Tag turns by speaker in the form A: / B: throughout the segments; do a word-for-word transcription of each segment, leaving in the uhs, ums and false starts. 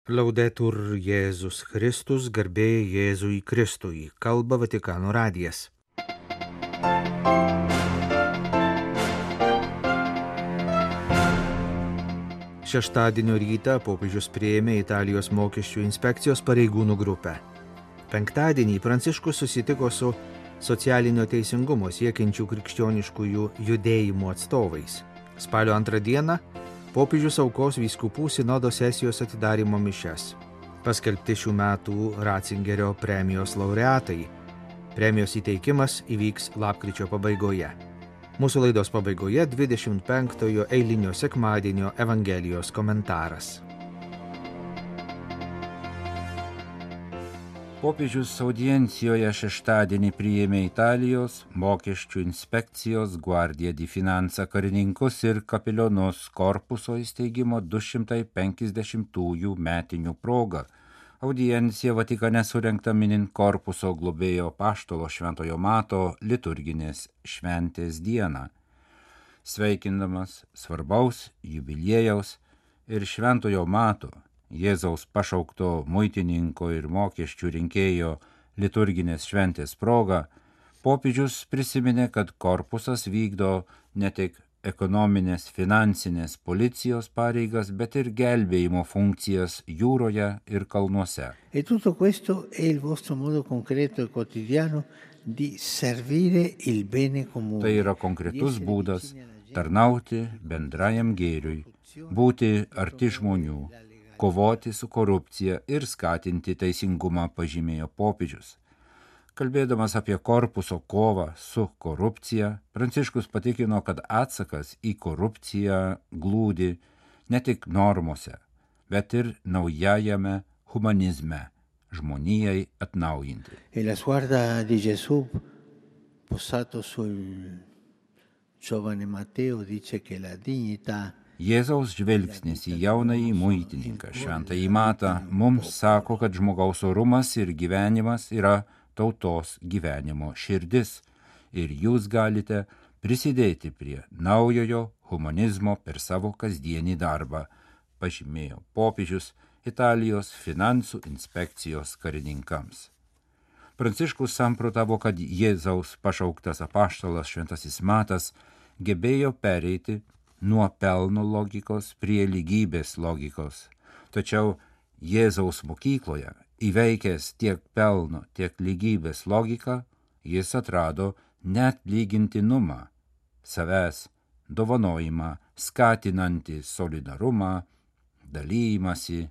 A: Laudetur Jėzus Kristus, garbė Jėzui Kristui, kalba Vatikano radijas. Šeštadienio rytą popiežius priėmė Italijos mokesčių inspekcijos pareigūnų grupę. Penktadienį Pranciškus susitiko su socialinio teisingumo siekiančių krikščioniškųjų judėjimų atstovais. Spalio antrą dieną popiežius aukos vyskupų sinodo sesijos atidarymo mišias. Paskelbti šių metų Ratzingerio premijos laureatai. Premijos įteikimas įvyks lapkričio pabaigoje. Mūsų laidos pabaigoje dvidešimt penktojo eilinio sekmadienio Evangelijos komentaras.
B: Popiežius audiencijoje šeštadienį priėmė Italijos mokesčių inspekcijos Guardia di Finanza karininkus ir kapelionus korpuso įsteigimo du šimtai penkiasdešimtųjų metinių proga. Audiencija Vatikane surengta minint korpuso globėjo apaštalo Šventojo Mato liturginės šventės dieną. Sveikindamas svarbaus jubiliejaus ir Šventojo Mato, Jėzaus pašaukto muitininko ir mokesčių rinkėjo liturginės šventės proga, popiežius prisiminė, kad korpusas vykdo ne tik ekonominės, finansinės policijos pareigas, bet ir gelbėjimo funkcijas jūroje ir kalnuose.
C: E tutto questo è il vostro modo concreto e quotidiano di servire il bene comune.
B: Tai yra konkretus būdas tarnauti bendrajam gėriui, būti arti žmonių, kovoti su korupcija ir skatinti teisingumą, pažymėjo popiežius. Kalbėdamas apie korpuso kovą su korupcija, Pranciškus patikino, kad atsakas į korupciją glūdi ne tik normose, bet ir naujajame humanizme, žmonijai atnaujinti.
C: E la sguarda di Gesù posato sul giovane Matteo dice che la dignità
B: Jėzaus žvelgsnis į jaunąjį muitininką, Šventąjį Matą, mums sako, kad žmogaus orumas ir gyvenimas yra tautos gyvenimo širdis ir jūs galite prisidėti prie naujojo humanizmo per savo kasdienį darbą, pažymėjo popiežius Italijos finansų inspekcijos karininkams. Pranciškus samprotavo, kad Jėzaus pašauktas apaštalas Šventasis Matas gebėjo pereiti nuo pelno logikos prie lygybės logikos. Tačiau Jėzaus mokykloje, įveikęs tiek pelno, tiek lygybės logiką, jis atrado neatlygintinumą, savęs dovanojimą, skatinantį solidarumą, dalymąsi,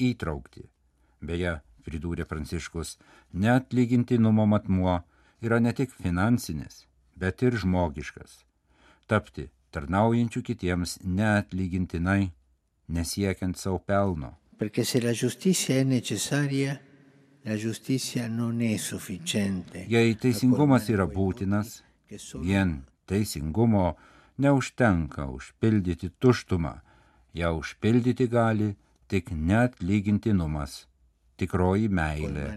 B: įtraukti. Beje, pridūrė Pranciškus, neatlygintinumo matmuo yra ne tik finansinis, bet ir žmogiškas. Tapti tarnaujančių kitiems neatlygintinai, nesiekiant savo pelno.
C: Perché se la giustizia è necessaria, la giustizia non è sufficiente.
B: Jei teisingumas yra būtinas, vien teisingumo neužtenka užpildyti tuštumą, ją užpildyti gali tik neatlygintinumas, tikroji meilė,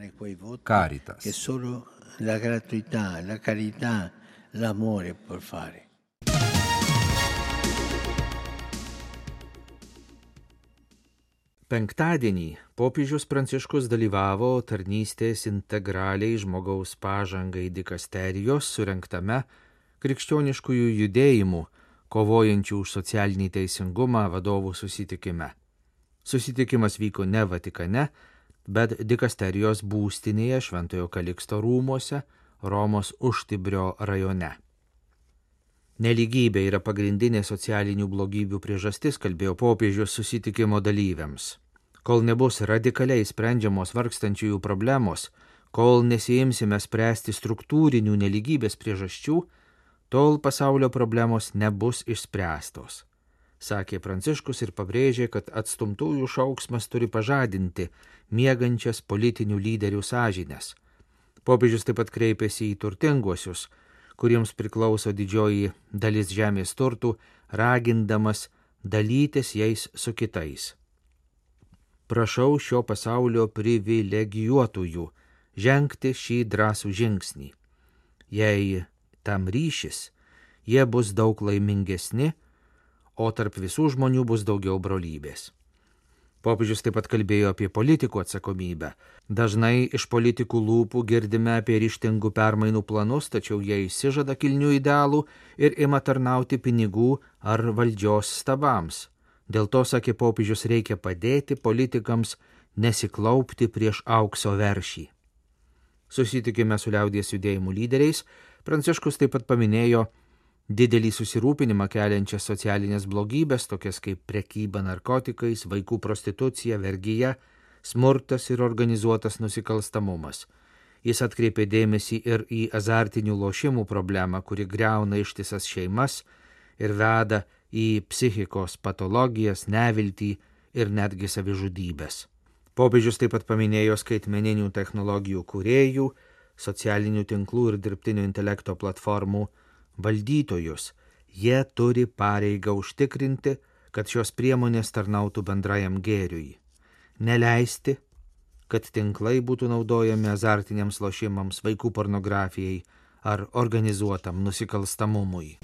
B: caritas.
C: Che solo la gratuità, la carità, l'amore può fare.
A: Penktadienį popiežius Pranciškus dalyvavo tarnystės integraliai žmogaus pažangai dikasterijos surengtame krikščioniškųjų judėjimų, kovojančių už socialinį teisingumą vadovų susitikime. Susitikimas vyko ne Vatikane, bet dikasterijos būstinėje Šventojo Kaliksto rūmuose Romos Užtibrio rajone. Nelygybė yra pagrindinė socialinių blogybių priežastis, kalbėjo popiežius susitikimo dalyviams. Kol nebus radikaliai sprendžiamos vargstančiųjų problemos, kol nesiimsime spręsti struktūrinių nelygybės priežasčių, tol pasaulio problemos nebus išspręstos, sakė Pranciškus ir pabrėžė, kad atstumtųjų šauksmas turi pažadinti miegančias politinių lyderių sąžines. Popiežius taip pat kreipėsi į turtinguosius, kuriems priklauso didžioji dalis žemės turtų, ragindamas dalytis jais su kitais. Prašau šio pasaulio privilegijuotųjų žengti šį drąsų žingsnį. Jei tam ryšis, jie bus daug laimingesni, o tarp visų žmonių bus daugiau brolybės. Popiežius taip pat kalbėjo apie politikų atsakomybę. Dažnai iš politikų lūpų girdime apie ryžtingų permainų planus, tačiau jie išsižada kilnių idealų ir ima tarnauti pinigų ar valdžios stabams. Dėl to, sakė popiežius, reikia padėti politikams nesiklaupti prieš aukso veršį. Susitikime su liaudies judėjimų lyderiais, Pranciškus taip pat paminėjo didelį susirūpinimą keliančias socialinės blogybės, tokias kaip prekyba narkotikais, vaikų prostitucija, vergyja, smurtas ir organizuotas nusikalstamumas. Jis atkreipė dėmesį ir į azartinių lošimų problemą, kuri griauna ištisas šeimas ir veda į psichikos patologijas, neviltį ir netgi savižudybės. Popiežius taip pat paminėjo skaitmeninių technologijų kūrėjų, socialinių tinklų ir dirbtinio intelekto platformų valdytojus. Jie turi pareigą užtikrinti, kad šios priemonės tarnautų bendrajam gėriui. Neleisti, kad tinklai būtų naudojami azartiniams lošimams, vaikų pornografijai ar organizuotam nusikalstamumui.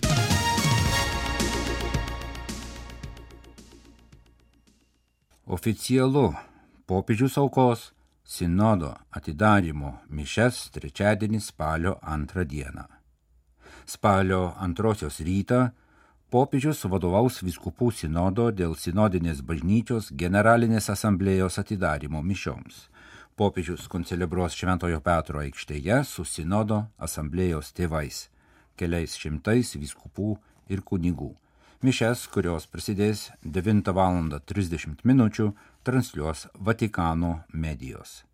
B: Oficialu popiežius aukos sinodo atidarymo mišias trečiadienį spalio antrą dieną. Spalio antrosios rytą popiežius vadovaus vyskupų sinodo dėl sinodinės bažnyčios generalinės asamblėjos atidarymo mišioms. Popiežius koncelebruos Šventojo Petro aikštėje su sinodo asamblėjos tėvais, keliais šimtais vyskupų ir kunigų. Mišias, kurios prasidės devintą valandą trisdešimt minučių, transliuos Vatikano medijos.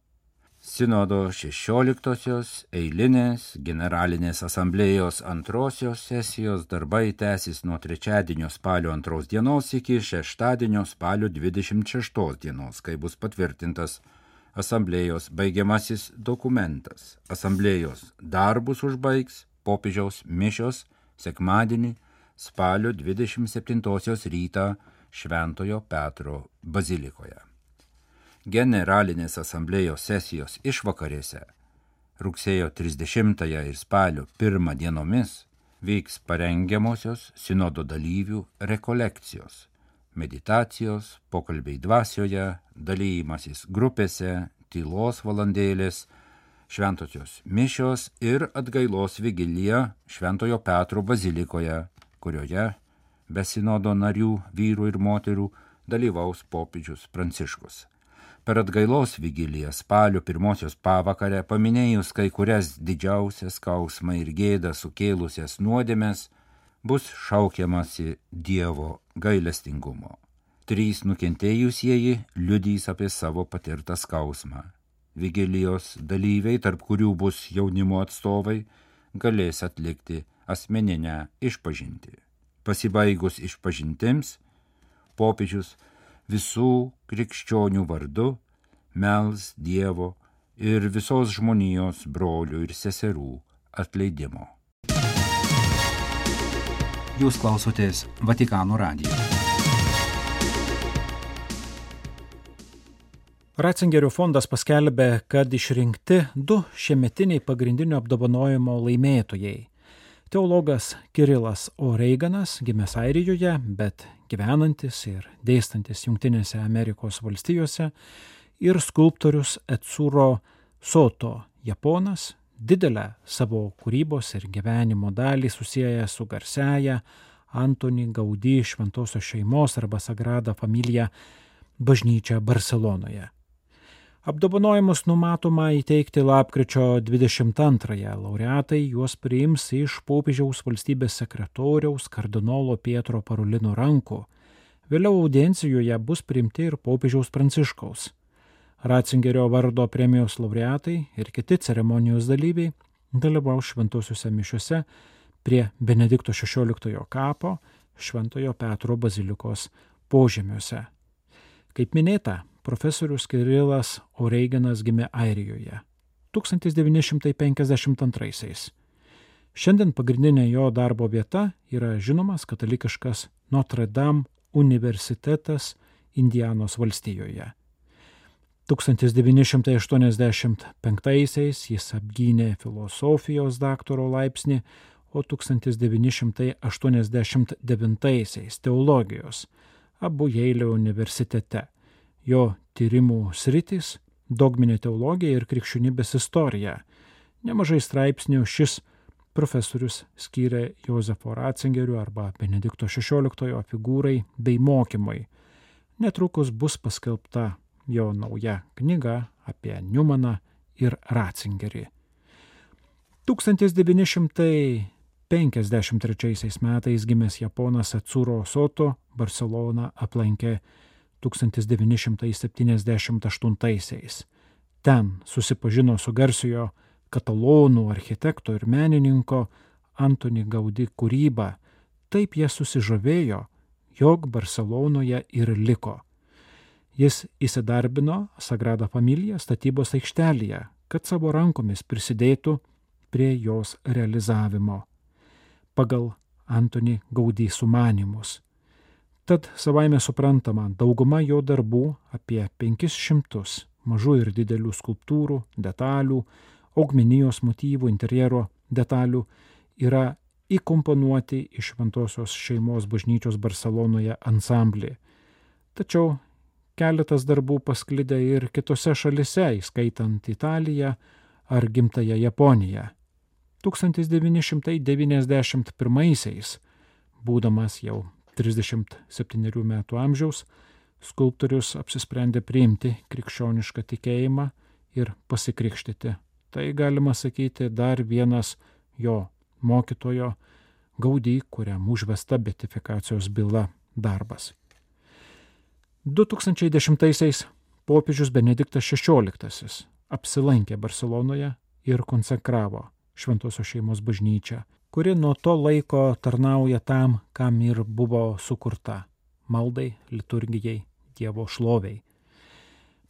B: Sinodo šešioliktosios eilinės generalinės asamblėjos antrosios sesijos darbai tęsis nuo trečiadienio spalio antros dienos iki šeštadienio spalio dvidešimt šeštos dienos, kai bus patvirtintas asamblėjos baigiamasis dokumentas. Asamblėjos darbus užbaigs popiežiaus mišios sekmadienį spalio dvidešimt septintosios rytą Šventojo Petro bazilikoje. Generalinės asamblėjos sesijos išvakarėse rugsėjo trisdešimtąją ir spalio pirmą dienomis vyks parengiamosios sinodo dalyvių rekolekcijos, meditacijos, pokalbiai dvasioje, dalymasis grupėse, tylos valandėlės, šventosios mišios ir atgailos vigilija Šventojo Petro bazilikoje, kurioje be sinodo narių, vyrų ir moterų, dalyvaus popiežius Pranciškus. Per atgailos vigiliją spalio pirmosios pavakarę, paminėjus kai kurias didžiausias skausmą ir gėdą sukėlusias nuodėmes, bus šaukiamasi Dievo gailestingumo. Trys nukentėjusieji liudys apie savo patirtą skausmą. Vigilijos dalyviai, tarp kurių bus jaunimo atstovai, galės atlikti asmeninę išpažintį. Pasibaigus išpažintims, popiežius visų krikščionių vardu mels Dievo ir visos žmonijos brolių ir seserų atleidimo.
D: Jūs klausotės Vatikano radijo. Ratzingerio fondas paskelbė, kad išrinkti du šiemetiniai pagrindinio apdovanojimo laimėtojai. Teologas Kirilas O'Reganas, gimęs Airijoje, bet gyvenantis ir dėstantis Jungtinėse Amerikos valstijose, ir skulptorius Etsuro Soto, japonas, didelę savo kūrybos ir gyvenimo dalį susieja su garsiaja Antoni Gaudí šventosios šeimos arba Sagrada Familia bažnyčia Barselonoje. Apdovanojimus numatoma įteikti lapkričio dvidešimt antrąją. Laureatai juos priims iš popiežiaus valstybės sekretoriaus kardinolo Pietro Parolino rankų. Vėliau audiencijoje bus priimti ir popiežiaus Pranciškaus. Ratzingerio vardo premijos laureatai ir kiti ceremonijos dalyviai dalyvaus šventosiuose mišiuose prie Benedikto šešioliktojo kapo Šventojo Petro bazilikos požemiuose. Kaip minėta, profesorius Kirilas O'Reganas gimė Airijoje tūkstantis devyni šimtai penkiasdešimt antraisiais. Šiandien pagrindinė jo darbo vieta yra žinomas katalikiškas Notre Dame universitetas Indianos valstijoje. tūkstantis devyni šimtai aštuoniasdešimt penktaisiais jis apgynė filosofijos daktaro laipsnį, o tūkstantis devyni šimtai aštuoniasdešimt devintaisiais teologijos, abu Jeilio universitete. Jo tyrimų sritis – dogminė teologija ir krikščionybės istorija. Nemažai straipsnių šis profesorius skyrė Jozefo Ratzingerių arba Benedikto šešioliktojo figūrai bei mokymui. Netrukus bus paskelbta jo nauja knyga apie Niumaną ir Ratzingerį. tūkstantis devyni šimtai penkiasdešimt trečiaisiais metais gimęs japonas Atsuro Soto Barceloną aplankė tūkstantis devyni šimtai septyniasdešimt aštuntaisiais. Ten susipažino su garsiojo katalonų architekto ir menininko Antoni Gaudí kūryba. Taip jie susižavėjo, jog Barcelonoje ir liko. Jis įsidarbino Sagrada Familia statybos aikštelėje, kad savo rankomis prisidėtų prie jos realizavimo pagal Antoni Gaudí sumanymus. Tad savaime suprantama, dauguma jo darbų apie penkis šimtus mažų ir didelių skulptūrų, detalių, augmenijos motyvų, interjero detalių yra įkomponuoti į Šventosios šeimos bažnyčios Barcelonoje ansamblį. Tačiau keletas darbų pasklidę ir kitose šalise, įskaitant Italiją ar gimtąją Japoniją. tūkstantis devyni šimtai devyniasdešimt pirmaisiais, būdamas jau trisdešimt septynerių metų amžiaus, skulptorius apsisprendė priimti krikščionišką tikėjimą ir pasikrikštyti. Tai galima sakyti dar vienas jo mokytojo Gaudí, kuriam užvesta beatifikacijos byla darbas. du tūkstančiai dešimtaisiais popiežius Benediktas šešioliktasis apsilankė Barcelonoje ir konsekravo Šventosios šeimos bažnyčią, kuri nuo to laiko tarnauja tam, kam ir buvo sukurta – maldai, liturgijai, Dievo šloviai.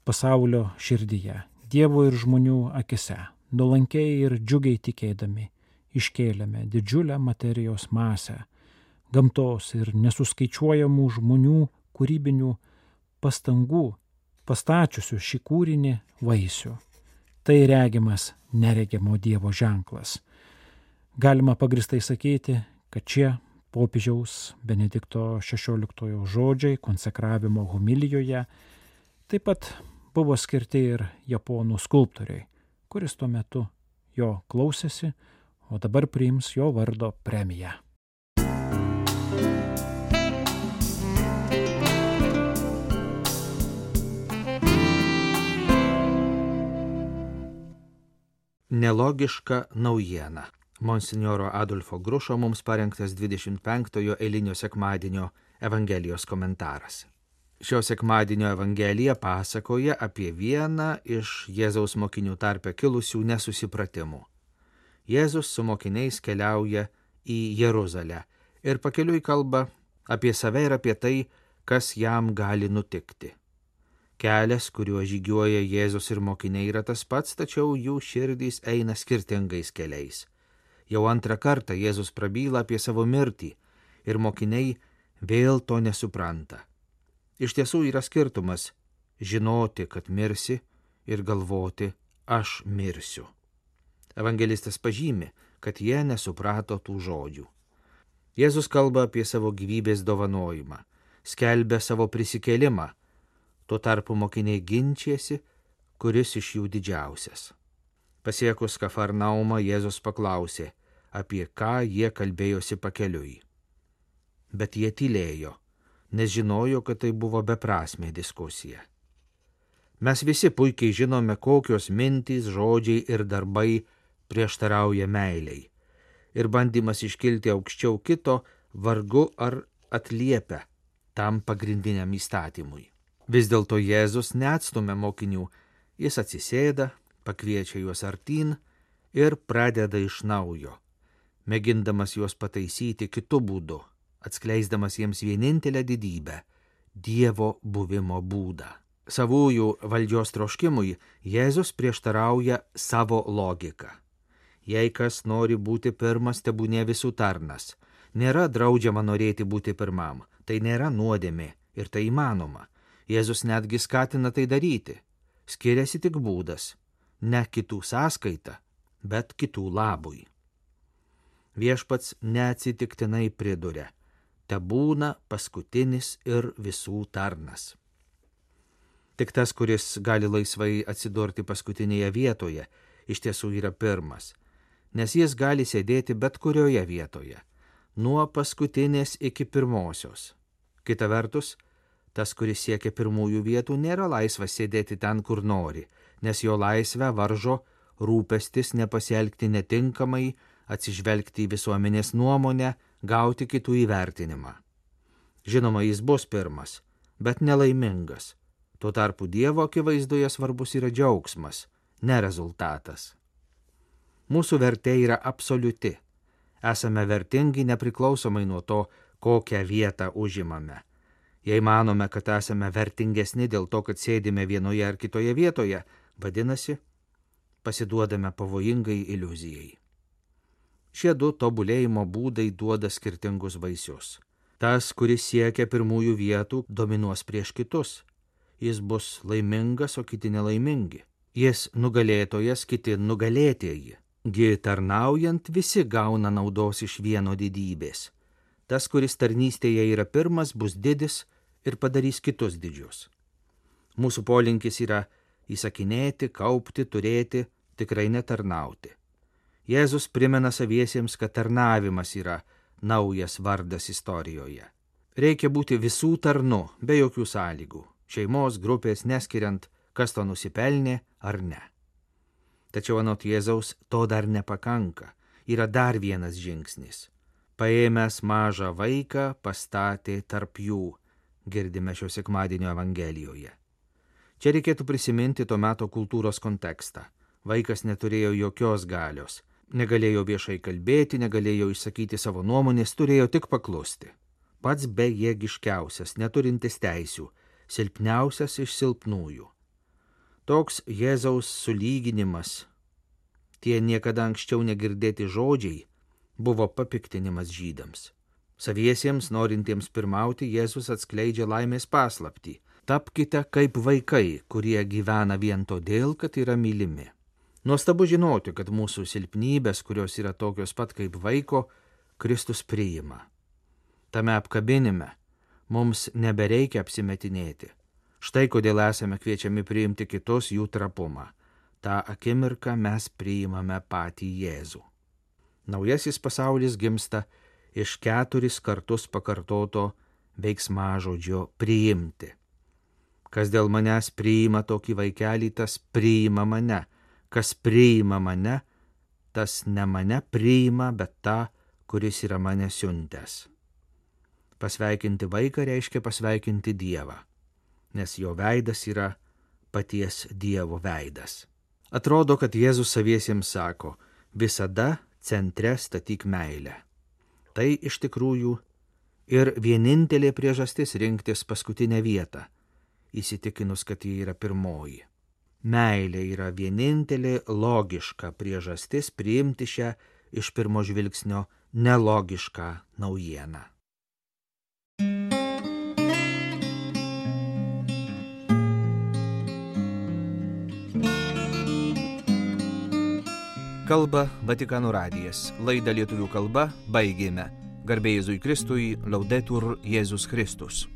D: Pasaulio širdyje, Dievo ir žmonių akise, nuolankiai ir džiugiai tikėdami, iškėlėme didžiulę materijos masę, gamtos ir nesuskaičiuojamų žmonių kūrybinių pastangų, pastačiusių šį kūrinį vaisių. Tai regimas neregiamo Dievo ženklas. Galima pagristai sakyti, kad šie popiežiaus Benedikto šešioliktojo žodžiai konsekravimo homilijoje taip pat buvo skirti ir japonų skulptoriui, kuris tuo metu jo klausėsi, o dabar priims jo vardo premiją.
A: Nelogiška naujiena. Monsinjoro Adolfo Grušo mums parengtas dvidešimt penktojo eilinio sekmadienio Evangelijos komentaras. Šio sekmadienio Evangelija pasakoja apie vieną iš Jėzaus mokinių tarpe kilusių nesusipratimų. Jėzus su mokiniais keliauja į Jeruzalę ir pakeliui kalba apie save ir apie tai, kas jam gali nutikti. Kelias, kuriuo žygiuoja Jėzus ir mokiniai, yra tas pats, tačiau jų širdys eina skirtingais keliais. Jau antrą kartą Jėzus prabyla apie savo mirtį ir mokiniai vėl to nesupranta. Iš tiesų yra skirtumas žinoti, kad mirsi ir galvoti, aš mirsiu. Evangelistas pažymi, kad jie nesuprato tų žodžių. Jėzus kalba apie savo gyvybės dovanojimą, skelbia savo prisikėlimą. Tuo tarpu mokiniai ginčiasi, kuris iš jų didžiausias. Pasiekus Kafarnaumą, Jėzus paklausė, apie ką jie kalbėjosi pakeliui. Bet jie tylėjo, nes žinojo, kad tai buvo beprasmė diskusija. Mes visi puikiai žinome, kokios mintys, žodžiai ir darbai prieštarauja meiliai. Ir bandymas iškilti aukščiau kito vargu ar atliepia tam pagrindiniam įstatymui. Vis dėlto Jėzus neatstumia mokinių, jis atsisėda, pakviečia juos artyn ir pradeda iš naujo, mėgindamas juos pataisyti kitu būdu, atskleisdamas jiems vienintelę didybę – Dievo buvimo būdą. Savųjų valdžios troškimui Jėzus prieštarauja savo logiką. Jei kas nori būti pirmas, tebūnie visų tarnas. Nėra draudžiama norėti būti pirmam, tai nėra nuodėmė ir tai įmanoma. Jėzus netgi skatina tai daryti. Skiriasi tik būdas, ne kitų sąskaita, bet kitų labui. Viešpats neatsitiktinai priduria, tebūna paskutinis ir visų tarnas. Tik tas, kuris gali laisvai atsidurti paskutinėje vietoje, iš tiesų yra pirmas, nes jis gali sėdėti bet kurioje vietoje, nuo paskutinės iki pirmosios. Kita vertus, tas, kuris siekia pirmųjų vietų, nėra laisvas sėdėti ten, kur nori, nes jo laisvę varžo rūpestis nepasielgti netinkamai, atsižvelgti į visuomenės nuomonę, gauti kitų įvertinimą. Žinoma, jis bus pirmas, bet nelaimingas. Tuo tarpu Dievo akivaizdoje svarbus yra džiaugsmas, ne rezultatas. Mūsų vertė yra absoliuti. Esame vertingi nepriklausomai nuo to, kokią vietą užimame. Jei manome, kad esame vertingesni dėl to, kad sėdime vienoje ar kitoje vietoje, vadinasi, pasiduodame pavojingai iliuzijai. Šie du tobulėjimo būdai duoda skirtingus vaisius. Tas, kuris siekia pirmųjų vietų, dominuos prieš kitus. Jis bus laimingas, o kiti nelaimingi. Jis nugalėtojas, kiti nugalėtieji. Gi tarnaujant visi gauna naudos iš vieno didybės. Tas, kuris tarnystėje yra pirmas, bus didis ir padarys kitus didžius. Mūsų polinkis yra įsakinėti, kaupti, turėti, tikrai netarnauti. Jėzus primena saviesiems, kad tarnavimas yra naujas vardas istorijoje. Reikia būti visų tarnu, be jokių sąlygų. Šeimos grupės neskiriant, kas to nusipelnė ar ne. Tačiau anot Jėzaus to dar nepakanka. Yra dar vienas žingsnis. Paėmęs mažą vaiką pastatė tarp jų, girdime šio sekmadienio Evangelijoje. Čia reikėtų prisiminti to meto kultūros kontekstą. Vaikas neturėjo jokios galios, negalėjo viešai kalbėti, negalėjo išsakyti savo nuomonės, turėjo tik paklusti. Pats bejėgiškiausias, neturintis teisių, silpniausias iš silpnųjų. Toks Jėzaus sulyginimas, tie niekada anksčiau negirdėti žodžiai, buvo papiktinimas žydams. Saviesiems, norintiems pirmauti, Jėzus atskleidžia laimės paslaptį. Tapkite kaip vaikai, kurie gyvena vien todėl, kad yra mylimi. Nuostabu žinoti, kad mūsų silpnybės, kurios yra tokios pat kaip vaiko, Kristus priima. Tame apkabinime mums nebereikia apsimetinėti. Štai kodėl esame kviečiami priimti kitus jų trapumą. Ta akimirką mes priimame patį Jėzų. Naujasis pasaulis gimsta iš keturis kartus pakartoto veiksmažodžio priimti. Kas dėl manęs priima tokį vaikelį, tas priima mane. Kas priima mane, tas ne mane priima, bet tą, kuris yra mane siuntęs. Pasveikinti vaiką reiškia pasveikinti Dievą, nes jo veidas yra paties Dievo veidas. Atrodo, kad Jėzus saviesiems sako, visada centre statyk meilę. Tai iš tikrųjų ir vienintelė priežastis rinktis paskutinę vietą, įsitikinus, kad ji yra pirmoji. Meilė yra vienintelė logiška priežastis priimti šią iš pirmo žvilgsnio nelogišką naujieną. Kalba Vatikano radijas. Laidą lietuvių kalba baigėme. Garbė Jėzui Kristui, Laudetur Jėzus Kristus.